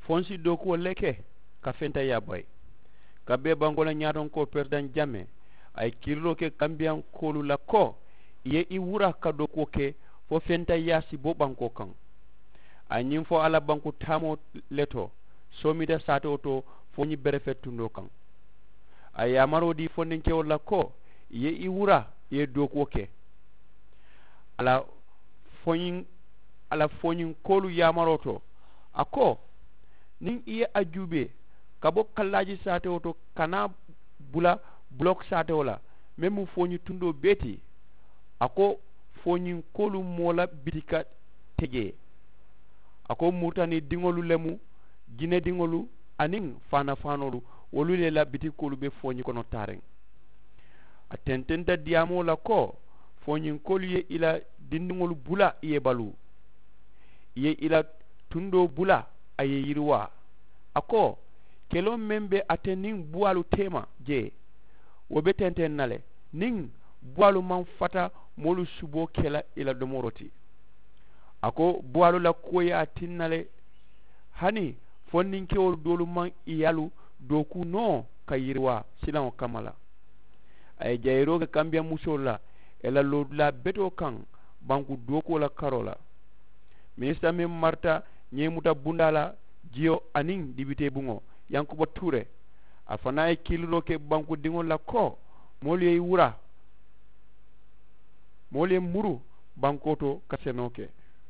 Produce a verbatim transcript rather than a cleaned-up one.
Fo n si dookuwo le ke ka fentayaa bayi. Ka bee bankoo la ñaatonkoo peresidaŋ jamee a ye kiiliroo ke kambiyankoolu la ko ì ye ì wura ka dookuwo ke fo fentayaa si bo bankoo kaŋ. A ye ñiŋ fo a la banku taamoo le to soomita saatewo to fo ñiŋ berefe tundoo kaŋ. A ye yaamaroo dii fondinkewolu la ko ì ye ì wura ì ye dookuwo ke. A la foñiŋ a la foñinkoolu yaamaroo to a ko, niŋ i ye a juubee ka bo kallaaji saatewo to ka naa bula bulok saatewo la meŋ mu fooñi tundoo bee ti. A ko fooñinkoolu moo la bitika te jee. A ko muritani diŋolu le mu jinediŋolu aniŋ faanafaanoolu wolu le la bitikoolu be fooñi kono taariŋ. A tententa diyaamoo la ko fooñinkoolu ye i la dindiŋolu bula i ye baluu. I ye i la tundoo bula a ye yiriwaa. A ko keloo meŋ be ate niŋ buwaalu teema jee wo be tenteŋ na le niŋ buwaalu maŋ fata moolu suboo ke la i la domoroo ti. A ko buwaalu la kuwo ye a tinna le hani fondinkewolu doolu maŋ i yaalu dookuu noo ka yiriwaa silaŋo kamma la. A ye jayiroo ke kambiyaŋ musoolu la ì la loodulaa betoo kaŋ banku dookuwo la karoo la. Minisita meŋ marita ñeemuta bundaa la jiyo aniŋ dibitee buŋo yankuba tuure a fanaa ye kiiliroo ke bankudiŋolu la ko moolu ye i wura moolu ye muru bankoo to ka senoo ke.